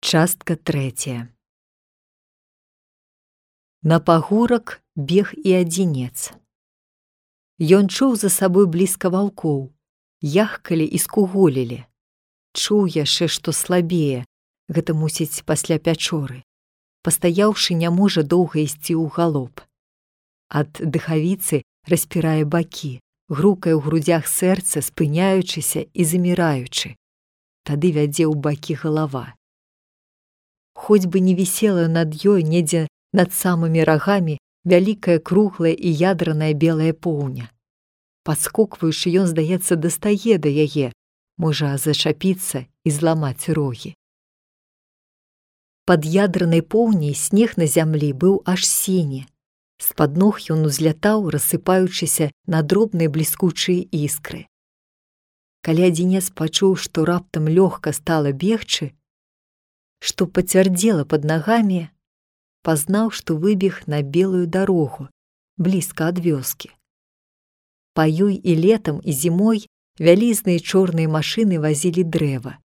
Частка 3. На пагорак бег і адзінец. Ён чуў за сабой блізка ваўкоў, яхкалі і скуголілі. Чуў яшчэ, што слабее, гэта мусіць пасля пячоры. Пастаяўшы, не можа доўга ісці ў галоп. Ад дыхавіцы распірае бакі, грукае ў грудзях сэрца, спыняючыся і заміраючы. Тады вядзе ў бакі галава. Хоць бы не вісела над ёй недзе над самымі рагамі вялікая круглая і ядраная белая поўня. Падскокваючы, ён, здаецца, дастае да яе, можа зачапіцца і зламаць рогі. Пад ядранай поўняй снег на зямлі быў аж сіні. З-пад ног ён узлятаў, рассыпаючыся на дробныя бліскучыя іскры. Калі адзінец пачуў, што раптам лёгка стала бегчы, што пацвярдзела пад нагамі, пазнаў, што выбег на белую дарогу, блізка ад вёскі. Па ёй і летам, і зімой вялізныя чорныя машыны вазілі дрэва.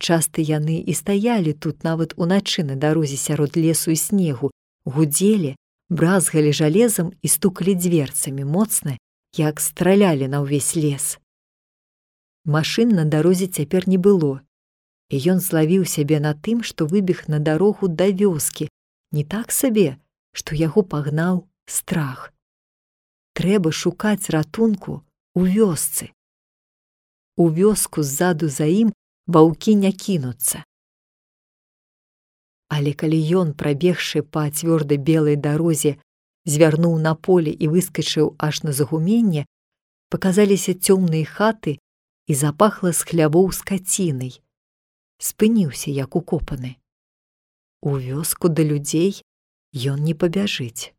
Часта яны і стаялі тут нават уначы на дарозе сярод лесу і снегу, гудзелі, бразгалі жалезам і стукалі дзверцамі моцна, як стралялі на ўвесь лес. Машын на дарозе цяпер не было, і ён злавіў сябе на тым, што выбег на дарогу да вёскі, не так сабе, што яго пагнаў страх. Трэба шукаць ратунку ў вёсцы. У вёску ззаду за ім ваўкі не кінуцца. Але калі ён, прабегшы па цвёрдай белай дарозе, звярнуў на поле і выскачыў аж на загуменне, паказаліся цёмныя хаты і запахла з хлявоў скацінай. Спыніўся, як укопаны. У вёску да людзей ён не пабяжыць.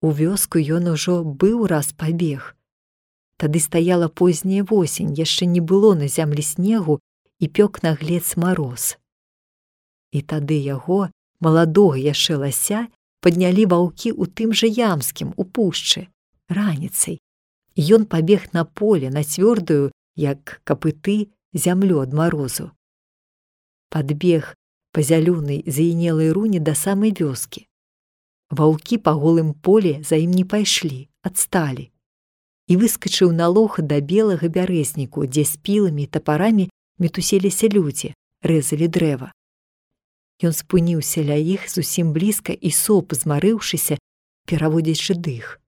У вёску ён ужо быў раз пабег. Тады стаяла позняя восень, яшчэ не было на зямлі снегу і пёк наглец мароз. І тады яго, маладога яшчэ лася, паднялі ваўкі ў тым жа ямскім, у пушчы, раніцай. Ён пабег на поле, на цвёрдую, як капыты, зямлю ад марозу. Падбег па зялёнай заінелай руні да самай вёскі. Ваўкі па голым поле за ім не пайшлі, адсталі. І выскачыў на лог да белага бярэзніку, дзе з піламі і тапарамі мітусіліся людзі, рэзалі дрэва. Ён спыніўся ля іх зусім блізка і соп, змарыўшыся, пераводзячы дых.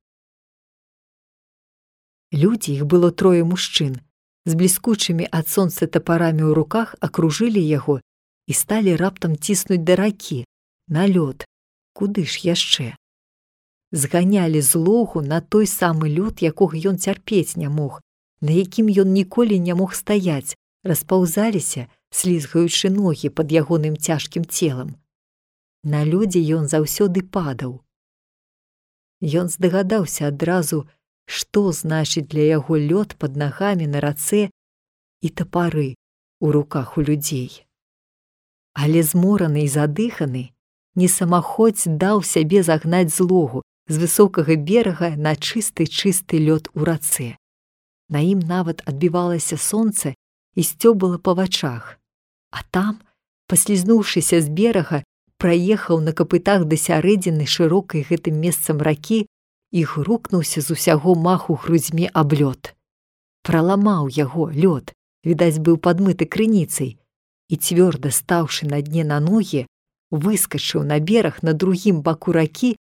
Людзі, іх было 3 мужчын, з бліскучымі ад сонца тапарамі ў руках акружылі яго і сталі раптам ціснуць да ракі, на лёд, куды ж яшчэ. Зганялі з логу на той самы лёд, якога ён цярпець не мог, на якім ён ніколі не мог стаяць, распаўзаліся, слізгаючы ногі пад ягоным цяжкім целам. На лёдзе ён заўсёды падаў. Ён здагадаўся адразу, што значыць для яго лёд пад нагамі на рацэ і тапары ў руках у людзей. Але змораны і задыханы, несамаходзь даў сябе загнаць з логу, з высокага берага на чысты лёд у рацэ. На ім нават адбівалася сонца і сцёбала па вачах. А там, паслізнуўшыся з берага, праехаў на капытах да сярэдзіны шырокай гэтым месцам ракі і грукнуўся з усяго маху грудзьмі аб лёд. Праламаў яго лёд, відаць, быў падмыты крыніцай, і цвёрда стаўшы на дне на ногі, выскачыў на бераг на другім баку ракі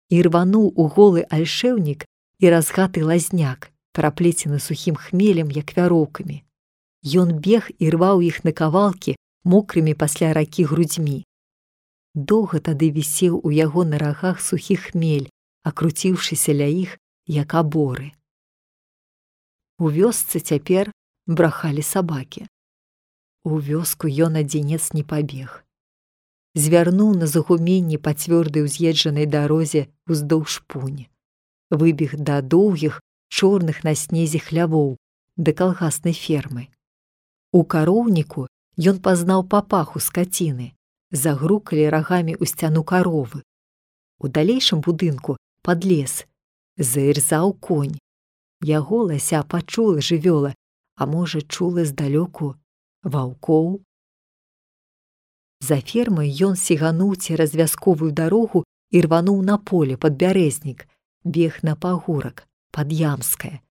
і рвануў у голы альшэўнік і разгаты лазняк, пераплецены сухім хмелем, як вяроўкамі. Ён бег і рваў іх на кавалкі мокрымі пасля ракі грудзьмі. Доўга тады вісеў у яго на рагах сухі хмель, акруціўшыся ля іх, як аборы. У вёсцы цяпер брахалі сабакі. У вёску ён адзінец не пабег. Звярнуў на загуменні па цвёрдай уз'езджанай дарозе уздоўж пунь. Выбег да доўгіх, чорных на снезе хлявоў, да калгаснай фермы. У кароўніку ён пазнаў папаху скаціны, загрукалі рагамі ў сцяну каровы. У далейшым будынку, пад лес, заірзаў конь. Яго лася пачула жывёла, а можа, чула здалёку ваўкоў. За фермай ён сігануў цераз вясковую дарогу і рвануў на поле пад бярэзнік, бег на пагорак, пад Ямскае.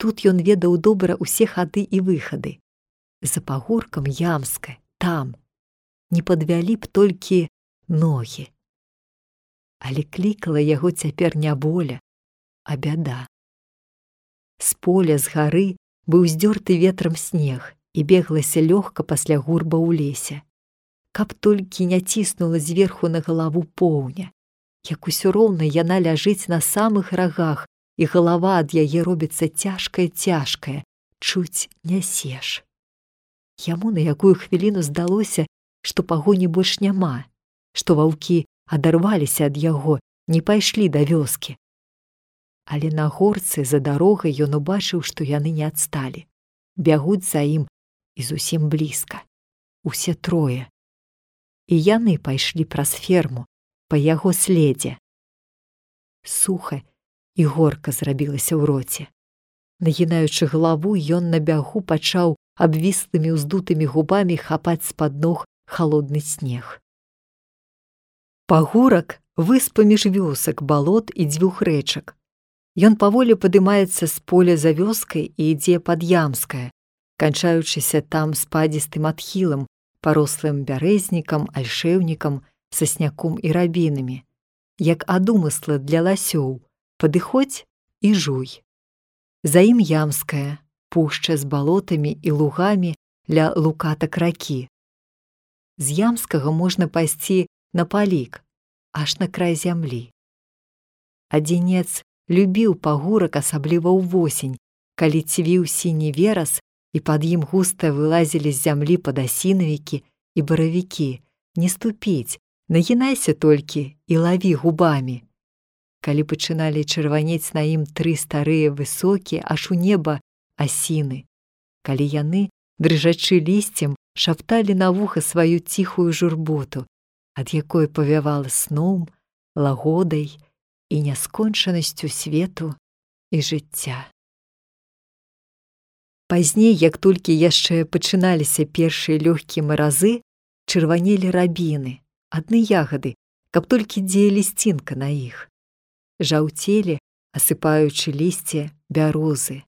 Тут ён ведаў добра ўсе хады і выхады. За пагоркам Ямскае, там. Не падвялі б толькі ногі. Але клікала яго цяпер не воля, а бяда. З поля, з гары быў здёрты ветрам снег, і беглася лёгка пасля гурба ў лесе. Каб толькі не ціснула зверху на галаву поўня, як усё роўна яна ляжыць на самых рагах, і галава ад яе робіцца цяжкая, чуць нясеш. Яму на якую хвіліну здалося, што пагоні больш няма, што ваўкі адарваліся ад яго, не пайшлі да вёскі. Але на горцы за дарогай ён убачыў, што яны не адсталі. Бягуць за ім і зусім блізка. Усе трое. І яны пайшлі праз ферму, па яго следзе. Суха і горка зрабілася ў роце. Нагінаючы галаву, ён на бягу пачаў абвіслымі ўздутымі губамі хапаць з-пад ног халодны снег. Пагорак выс паміж вёсак, балот і дзвюх рэчак. Ён паволі падымаецца з поля за вёскай і ідзе пад Ямскае, канчаючыся там спадзістым адхілам, парослым бярэзнікам, альшэўнікам, сасняком і рабінамі. Як ад умысла для ласёў, падыходзь і жуй. За ім Ямская, пушча з балотамі і лугамі ля лукатак ракі. З Ямскага можна пайсці на палік, аж на край зямлі. Адзінец любіў пагорак асабліва ўвосень, калі цвіў сіні верас, і пад ім густа вылазілі з зямлі падасінавікі і баравікі. Не ступіць, нагінайся толькі і лаві губамі. Калі пачыналі чырванець на ім тры старыя высокія, аж у неба асіны. Калі яны, дрыжачы лісцем, шапталі на вуха сваю ціхую журботу, ад якой павявала сном, лагодай і няскончанасцю свету і жыцця. Пазней, як толькі яшчэ пачыналіся першыя лёгкія маразы, чырванелі рабіны, адны ягады, каб толькі дзе лісцінка на іх. Жаўцелі, асыпаючы лісце, бярозы.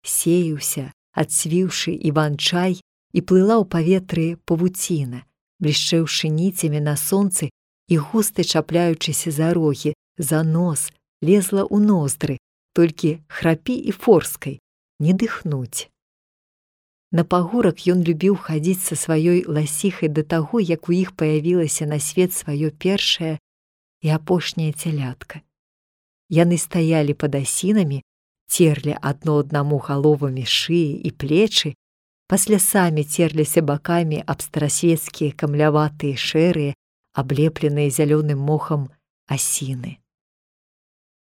Сеяўся, адцвіўшы іван-чай, і плыла ў паветры павуціна, блішчэўшы ніцямі на сонцы і густа чапляючыся за рогі, за нос, лезла ў ноздры, толькі храпі і форскай, не дыхнуць. На пагорак ён любіў хадзіць са сваёй ласіхай да таго, як у іх паявілася на свет сваё першае і апошняе цялятка. Яны стаялі пад асінамі, церлі адно аднаму галовамі шыі і плечы, пасля самі церліся бакамі аб старасвецкія камляватыя шэрыя, аблепленыя зялёным мохам асіны.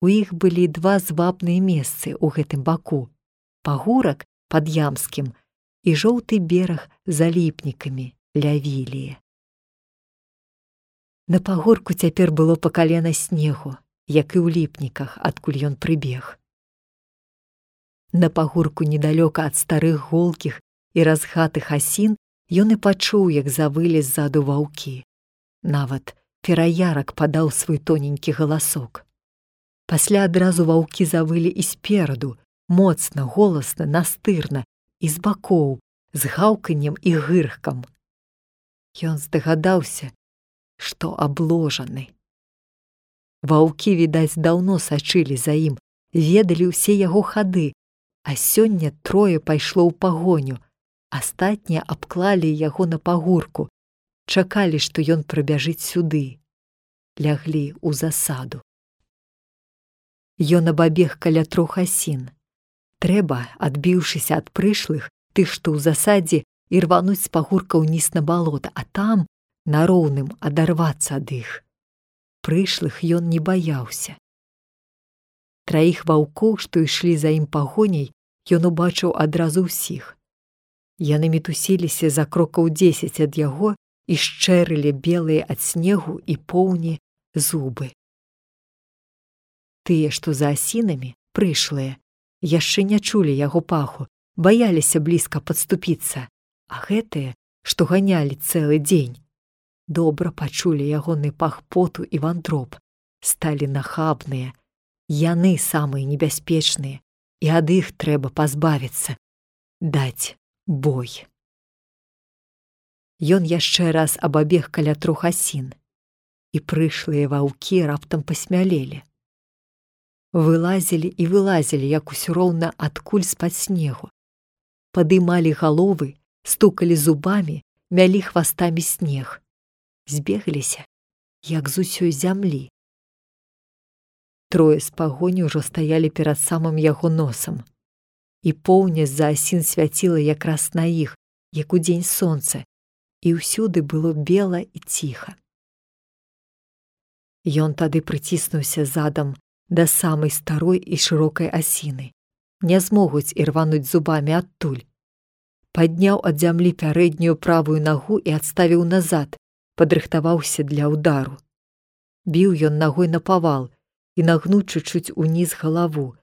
У іх былі два звабныя месцы ў гэтым баку. Пагорак пад Ямскім і жоўты бераг за ліпнікамі ля Віліі. На пагорку цяпер было па калена снегу, як і ў ліпніках, адкуль ён прыбег. На пагорку недалёка ад старых голкіх і разгатых асін ён і пачуў, як завылі ззаду ваўкі. Нават пераярак падаў свой тоненькі галасок. Пасля адразу ваўкі завылі і спераду, моцна, голасна, настырна, і з бакоў, з гаўканнем і гырхкам. Ён здагадаўся, што абложаны. Ваўкі, відаць, даўно сачылі за ім, ведалі ўсе яго хады, а сёння трое пайшло ў пагоню, астатнія абклалі яго на пагорку, чакалі, што ён прыбяжыць сюды, ляглі ў засаду. Ён абабег каля трох асін. Трэба, адбіўшыся ад прышлых, тых, што ў засадзе, і рвануць з пагорка ўніз на балота, а там, на роўным, адарвацца ад іх. Прышлых ён не баяўся. Траіх ваўкоў, што ішлі за ім пагоняй, ён убачыў адразу ўсіх. Яны мітусіліся за крокаў 10 ад яго і шчэрылі белыя ад снегу і поўні зубы. Тыя, што за асінамі, прышлыя, яшчэ не чулі яго паху, баяліся блізка падступіцца, а гэтыя, што ганялі цэлы дзень, добра пачулі ягоны пах поту і вандроб, сталі нахабныя. Яны самыя небяспечныя, і ад іх трэба пазбавіцца, даць бой. Ён яшчэ раз абабег каля 3 асін, і прышлыя ваўкі раптам пасмялелі. Вылазілі і вылазілі, як усё роўна адкуль з-пад снегу. Падымалі галовы, стукалі зубамі, мялі хвастамі снег. Збегліся, як з усёй зямлі. 3 з пагоні ўжо стаялі перад самым яго носам. І поўня з-за асін свяціла якраз на іх, як удзень сонца, і ўсюды было бела і ціха. Ён тады прыціснуўся задам да самай старой і шырокай асіны. Не змогуць ірвануць зубамі адтуль. Падняў ад зямлі пярэднюю правую нагу і адставіў назад, падрыхтаваўся для ўдару. Біў ён нагой напавал і нагнуўшы чуць уніз галаву,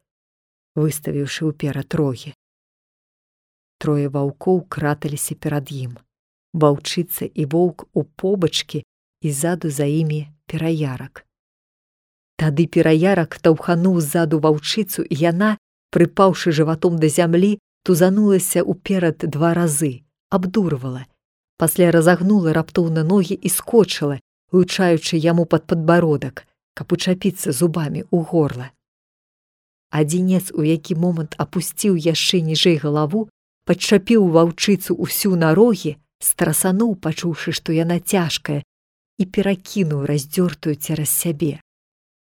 выставіўшы ўперад рогі. 3 ваўкоў краталіся перад ім. Ваўчыца і воўк у побачкі і ззаду за імі пераярак. Тады пераярак таўхануў ззаду ваўчыцу, і яна, прыпаўшы жыватом да зямлі, тузанулася ўперад 2 разы, абдурвала. Пасля разагнула раптоўна ногі і скочыла, лучаючы яму пад падбародак, каб учапіцца зубамі ў горла. Адзінец у які момант апусціў яшчэ ніжэй галаву, падчапіў ваўчыцу ўсю на рогі, страсануў, пачуўшы, што яна цяжкая, і перакінуў раздзёртую цераз сябе.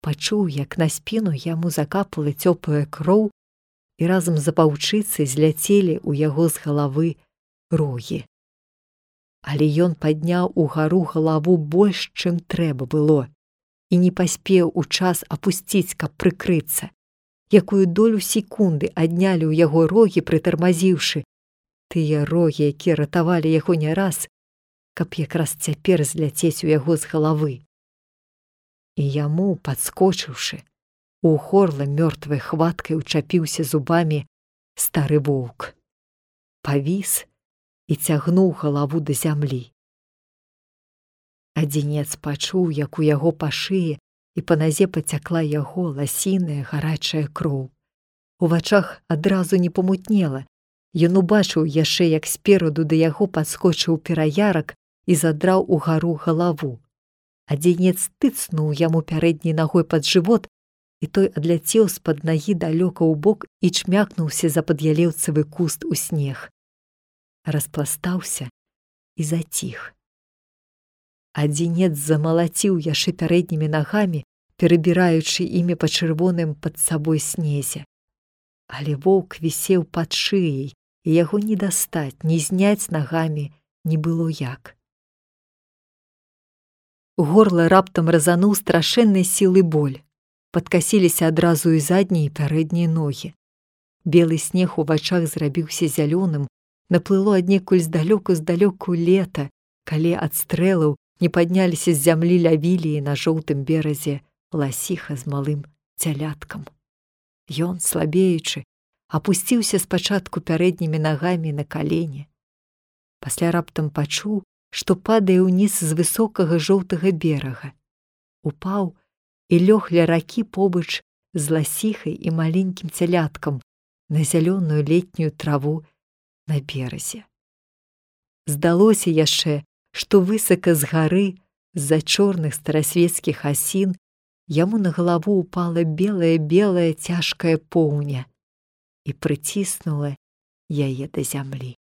Пачуў, як на спіну яму закапала цёплая кроў, і разам з ваўчыцай зляцелі ў яго з галавы рогі. Але ён падняў угару галаву больш, чым трэба было, і не паспеў у час апусціць, каб прыкрыцца. Якую долю секунды аднялі ў яго рогі, прытармазіўшы, тыя рогі, якія ратавалі яго не раз, каб якраз цяпер зляцець у яго з галавы. І яму, падскочыўшы, у горла мёртвай хваткай учапіўся зубамі стары воўк. Павіс і цягнуў галаву да зямлі. Адзінец пачуў, як у яго па шыі і па назе пацякла яго ласіная гарачая кроў. У вачах адразу не памутнела. Ён убачыў яшчэ, як спераду да яго падскочыў пераярак і задраў угару галаву. Адзінец тыцнуў яму пярэдняй нагой пад жывот, і той адляцеў з-пад нагі далёка ў бок і чмякнуўся за пад'ялеўцавы куст у снег. Распластаўся і заціх. Адзінец замалаціў яшчэ пярэднімі нагамі, перабіраючы імі па чырвоным пад сабой снезе. Але воўк вісеў пад шыяй, і яго не дастаць, ні зняць нагамі не было як. Горла раптам разануў страшэннай сілы боль. Падкасіліся адразу і заднія і пярэднія ногі. Белы снег у вачах зрабіўся зялёным, наплыло аднекуль здалёку лета, калі ад стрэлаў не падняліся з зямлі лявіліі на жоўтым беразе ласіха з малым цяляткам. Ён, слабеючы, апусціўся спачатку пярэднімі нагамі на калені. Пасля раптам пачуў, што падае ўніз з высокага жоўтага берага. Упаў і лёг ля ракі побач з ласіхай і маленькім цяляткам на зялёную летнюю траву на беразе. Здалося яшчэ, што высока з гары, з-за чорных старасвецкіх асін, яму на галаву упала белая цяжкая поўня і прыціснула яе да зямлі.